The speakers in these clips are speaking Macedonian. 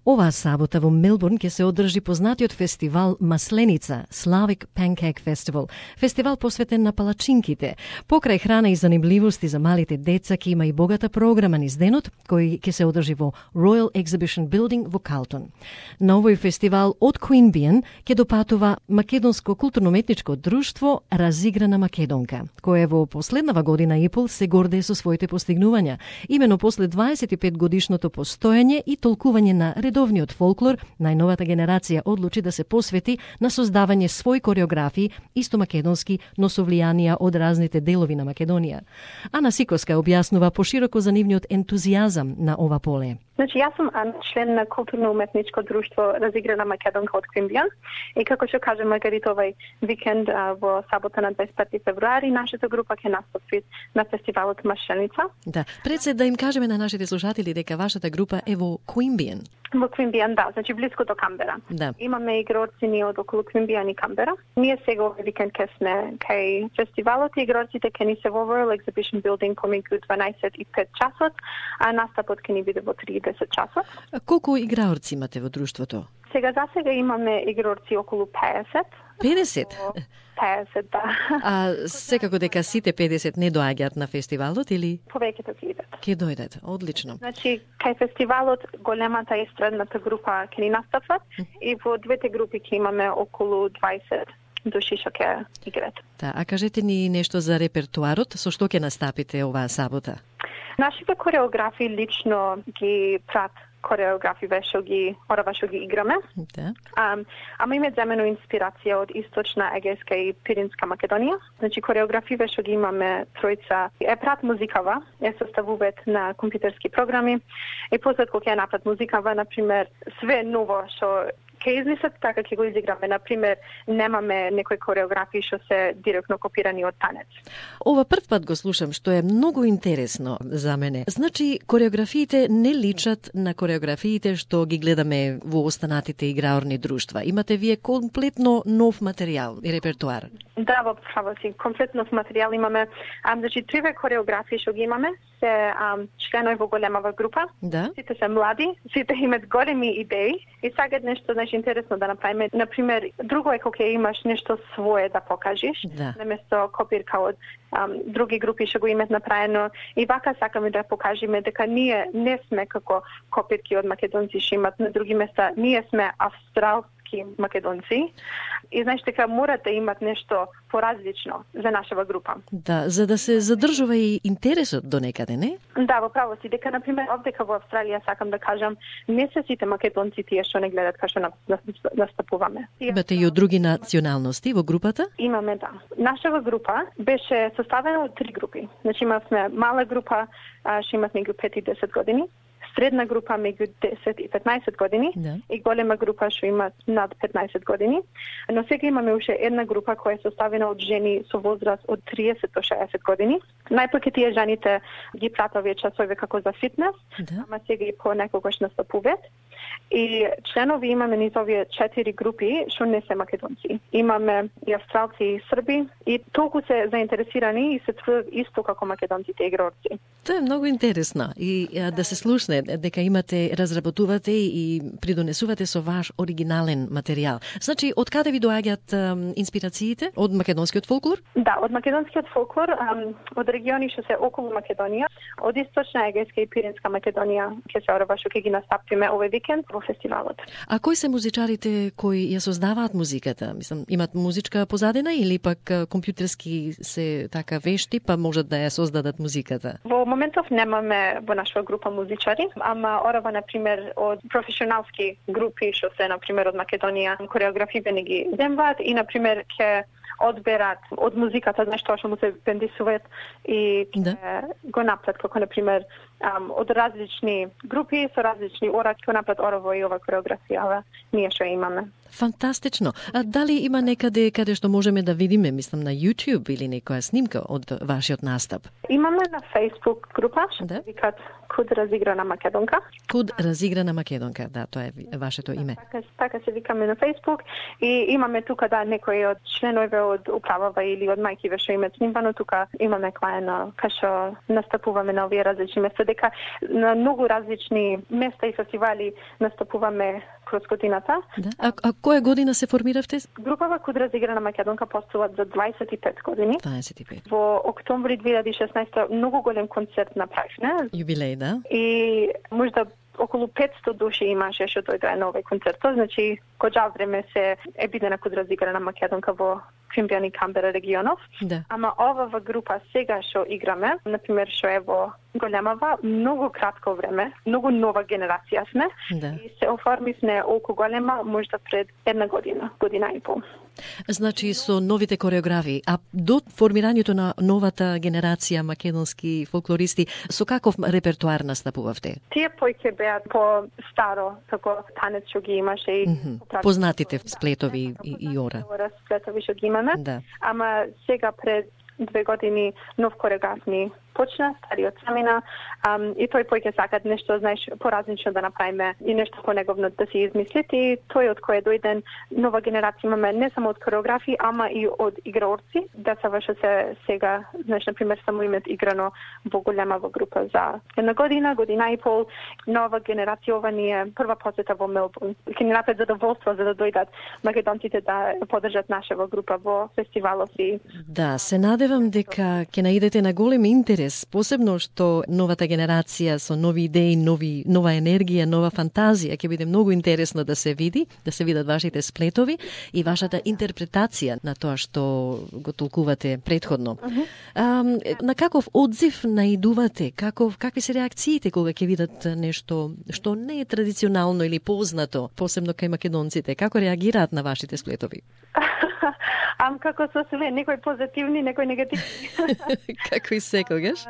Оваа сабота во Мелбурн ќе се одржи познатиот фестивал Масленица, Slavic Pancake Festival, фестивал посветен на палачинките. Покрај храна и занимливости за малите деца ќе има и богата програма низ денот, кој ќе се одржи во Royal Exhibition Building во Калтон. На овој фестивал од Queanbeyan ќе допатува македонско културно-уметничко друштво Разиграна Македонка, кое во последнава година и пол се гордее со своите постигнувања. Имено после 25 годишното постоење и толкување на редовниот фолклор, најновата генерација одлучи да се посвети на создавање свој кореографии, исто македонски, но со влијанија од разните делови на Македонија. Ана Сикоска објаснува пошироко за нивниот ентузијазам на ова поле. Значи, јас сум член на културно-уметничко друштво Разиграна Македонка од Queanbeyan и како што кажа Маргарита, овај викенд во сабота на 25 февруари нашата група ќе настапи на фестивалот Масленица. Да, пред се да им кажеме на нашите слушатели дека вашата група е во Queanbeyan. Во Queanbeyan, да, значи близко до Камбера. Да. Имаме игрорци ние од околу Queanbeyan и Камбера. Ние сега овој викенд ќе сме кај фестивалот и игрорците ќе ни се во Royal Exhibition Building помеѓу 12 и 5 часот, а настапот ќе ни биде во 30 часот. А колку играорци имате во друштвото? Сега имаме игрорци околу 50. 50? 50, да. А секако дека сите 50 не доаѓаат на фестивалот или? Повеќето ќе идат. Ќе дојдат, одлично. Значи, кај фестивалот големата и средната група ќе ни настапат и во двете групи ќе имаме околу 20 души што ќе играат. Да, а кажете ни нешто за репертуарот, со што ќе настапите оваа сабота? Нашите кореографи лично ги прат кореографи што ги играме. Да. Ама име земено инспирација од Источна, Егејска и Пиринска Македонија. Значи кореографи што ги имаме тројца е прат музикава, е составуваат на компјутерски програми и после кога ќе направат музикава, на пример, све ново што ќе измислат, така ќе го изиграме. Например, немаме некои кореографии што се директно копирани од танец. Ова прв пат го слушам, што е многу интересно за мене. Значи, кореографиите не личат на кореографиите што ги гледаме во останатите играорни друштва. Имате вие комплетно нов материјал и репертуар. Да, во право си, комплетно нов материјал имаме. Значи, триве кореографии што ги имаме се членови во големава група. Да. Сите се млади, сите имаат големи идеи и сакаат нешто, значи, интересно да направиме. Например, друго е кога имаш нешто свое да покажеш, да, наместо копирка од други групи што го имаат направено. И вака сакаме да покажеме дека ние не сме како копирки од македонци што имаат на други места. Ние сме австралски македонци. И знаеш дека мора да имат нешто поразлично за нашава група. Да, за да се задржува и интересот до некаде, не? Да, во право си. Дека, например, овдека во Австралија сакам да кажам, не се сите македонци тие што не гледат кај што настапуваме. Имате и од други националности во групата? Имаме, да. Нашава група беше составена од 3 групи. Значи имавме мала група, што имат меѓу 5 и 10 години, средна група меѓу 10 и 15 години, да, и голема група што имат над 15 години. Но сега имаме уште една група која е составена од жени со возраст од 30 до 60 години. Најпоќе тие жените ги пратат овие часови како за фитнес, да, ама сега и понекогаш настапуваат. И членови имаме низ овие 4 групи што не се македонци. Имаме и австралци и срби и толку се заинтересирани и се трудат исто како македонците игрорци. Тоа е многу интересно и да се слушне дека имате, разработувате и придонесувате со ваш оригинален материјал. Значи, од каде ви доаѓаат инспирациите? Од македонскиот фолклор? Да, од македонскиот фолклор, од региони што се околу Македонија, од Источна, Егејска и Пиринска Македонија ќе се орава што ќе ги настапиме овој викенд во фестивалот. А кои се музичарите кои ја создаваат музиката? Мислам, имат музичка позадина или пак компјутерски се така вешти, па можат да ја создадат музиката? Во моментов немаме во нашава група музичари, ама орава, например, од професионалски групи што се, например, од Македонија, кореографите не ги земваат и, например, ќе одберат од музиката нешто што му се бендисуваат и да, го направат, како, например, од различни групи со различни ораки, го направат орово и ова кореографија, ние што имаме. Фантастично. А дали има некаде каде што можеме да видиме, мислам на YouTube или некоја снимка од вашиот настап? Имаме на Facebook група, што се викат Куд разиграна македонка. Куд разиграна македонка, да, тоа е вашето име. Така се викаме на Facebook и имаме тука некои од членови од управава или од мајкиве што имаат снимбано, тука имаме клаена кај што настапуваме на овие различни места, дека на многу различни места и фестивали настапуваме кроз годината. Да. А која година се формиравте? Групава Куд разиграна македонка постојат за 25 години. 25. Во октомври 2016 многу голем концерт направивме. Јубилеј, да? И можда околу 500 души имаше што дојдоа на овој концерт. Значи, гоџа време се е бидена Куд разиграна македонка во Фимбијан и Камбера регионов. Да. Ама оваа група сега што играме, например што е во големава, многу кратко време, многу нова генерација сме. Да. И се оформивме околу голема можда пред една година и пол. Значи со новите кореографи, а до формирањето на новата генерација македонски фолклористи, со каков репертуар настапувавте? Тие појќе беа по старо, како танец што ги имаше и познатите сплетови и ора. Сплетови што ги имаме. Да. Ама сега пред 2 години нов кореограф ни почна, стариот замина, и тој појќе сакат нешто, знаеш, поразлично да направиме и нешто понеговно да си измислит, и тој од кој е дојден нова генерација имаме не само од кореографи, ама и од играорци. Децава што се сега, знаеш, например, само имат играно во голема група за една година и пол. Нова генерација, ова ни е прва посета во Мелбурн. Ќе ни направи задоволство за да дојдат македонците да подржат нашава група во фестивалот и... Да, се надевам дека ќе наидете на голем интерес, посебно што новата генерација со нови идеи, нова енергија, нова фантазија, ќе биде многу интересно да се види, да се видат вашите сплетови и вашата интерпретација на тоа што го толкувате претходно. На каков одзив наидувате? Какви се реакциите кога ќе видат нешто што не е традиционално или познато, посебно кај македонците? Како реагираат на вашите сплетови? Како со све, некои позитивни, некои негативни. Како и секогаш?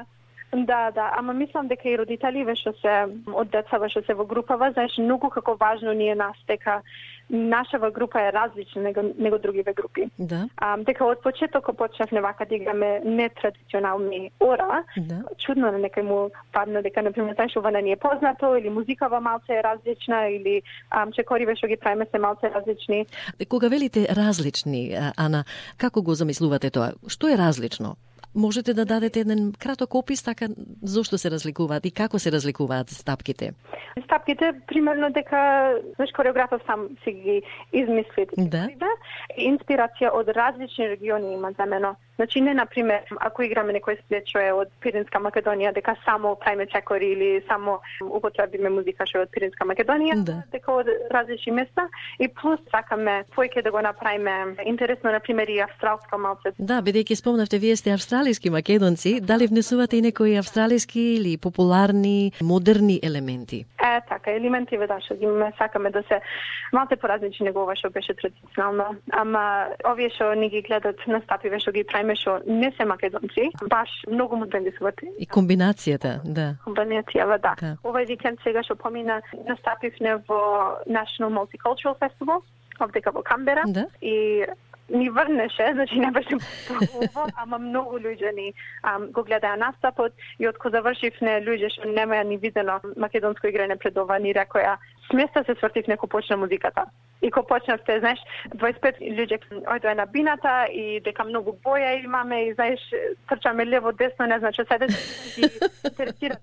Да, ама мислам дека и родителиве што се од децава што се во групава, знаеш, многу како важно ни е нас дека нашава група е различна него другиве групи. Да. Дека од почетокот почнавме вака да играме нетрадиционални ора. Да. Чудно на некој му падна дека, например, танцување ни е познато или музикава малце е различна или чекориве што ги правиме се малце различни. Кога велите различни, Ана, како го замислувате тоа? Што е различно? Можете да дадете еден краток опис така зошто се разликуваат и како се разликуваат стапките? Стапките, примерно дека кореографот сам си ги измисли. Да. Инспирација од различни региони има замено. Значи не, например, ако играме некој сплет што е од Пиринска Македонија, дека само правиме чекори или само употребиме музика што е од Пиринска Македонија, да. Дека од различни места и плюс сакаме појќе да го направиме интересно, например, и австралско малце. Да, бидејќи спомнавте, вие сте австралиски македонци, дали внесувате и некои австралиски или популарни, модерни елементи? Така, елементиве да, што ги сакаме да се малце поразлични него ова што беше традиционално, ама овие што ни ги гледат настапиве што ги правиме што не се македонци, баш многу модерни се врти. И комбинацијата, да. Комбинацијава, да. Овој викенд сега што помина настапивме во National Multicultural Festival, овдека во Камбера, да. И ни врнеше, значи не беше толку, ама многу луѓе ни го гледаја настапот и од кога завршивме луѓе што немаја ни видено македонско играње пред ова ни рекоја сместа се свртивме ко почна музиката. И ко почнавте, знаеш, 25 луѓе ојдоа на бината и дека многу боја имаме и знаеш трчаме лево десно, не значи седе и интересира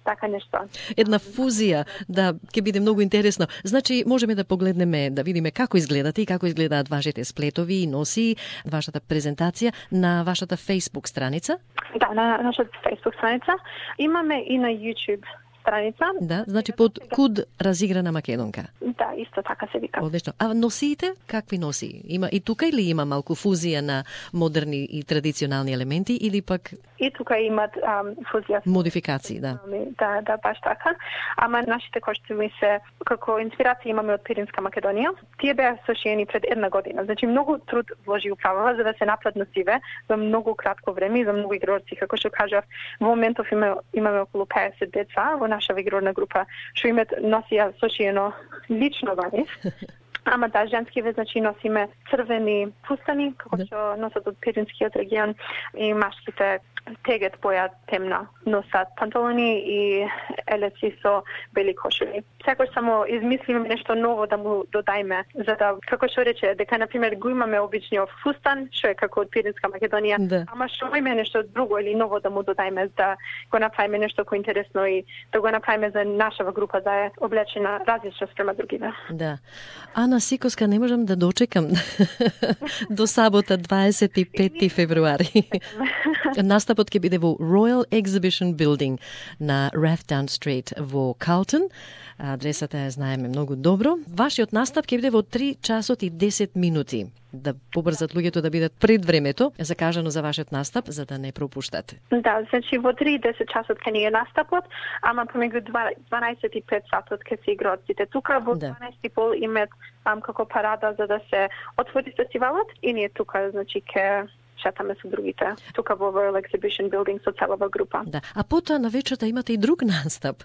така нешто. Една фузија, да, ќе биде многу интересно. Значи можеме да погледнеме, да видиме како изгледате и како изгледаат вашите сплетови и носи, вашата презентација на вашата Facebook страница? Да, на нашата Facebook страница. Имаме и на YouTube страница. Да, значи под Куд разиграна македонка. Да, исто така се вика. Одлично. А носиите? Какви носи? Има и тука или има малку фузија на модерни и традиционални елементи или пак и тука имат фузија. Модификации, да. Да, баш така. Ама нашите костюми се како инспирација имаме од Пиринска Македонија. Тие беа сошиени пред една година. Значи многу труд вложи управава за да се направат носиве за многу кратко време и за многу игрорци. Како што кажав, во моментов имаме околу 50 деца во нашава игрорна група што имат носија сошиено лично во нив. Ама да, женскиве, значи носиме црвени фустани, како што носат од Пиринскиот регион, и машките тегет боја темна, носат панталони и елеци со бели кошули. Секој само измислиме нешто ново да му додајме, за да, како што рече, дека, например, го имаме обичниот фустан, што е како од Пиринска Македонија, ама што има нешто друго или ново да му додајме, да го направиме нешто кој интересно и да го направиме за нашава група да е облечена различно спрема другиве. Да. Ана Сикоска, не можам да дочекам до сабота 25 февруари. Настапот ќе биде во Royal Exhibition Building на Rathdown Street во Калтон. Адресата ја знаеме многу добро. Вашиот настап ќе биде во 3 часот и 10 минути. Да побрзат луѓето да бидат пред времето закажано за вашиот настап, за да не пропуштате. Да, значи во 3:10 часот ќе ни е настапот, ама помеѓу 12 и 5 сатот ќе се играат сите тука, во 12:30 имат како парада за да се отвори фестивалот и ние тука, значи ќе шетаме со другите. Тука во Royal Exhibition Building со целава група. Да, а потоа на вечерта имате и друг настап.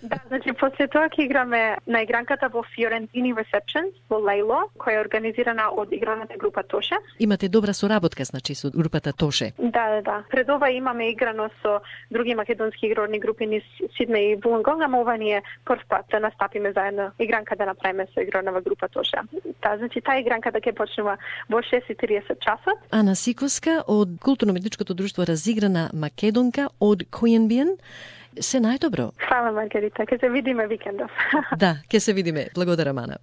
Да, значи после тоа ќе играме на игранката во Fiorentini Receptions во Лейло, која е организирана од играната група Тоше. Имате добра соработка, значи, со групата Тоше. Да. Пред ова имаме играно со други македонски игрорни групи низ Сиднеј и Вулонгонг, ама ова ни е прв пат да настапиме заедно игранка да направиме со игрорнава група Тоше. Да, значи таа игранка да ќе почнува во 6:30 часот. Ана Сикоска од Културно-медичкото друштво Разиграна Македонка од Којенбиен. Се најдобро. Фала, Маргарита. Ке се видиме викендов. Да, ке се видиме. Благодарам, Ана.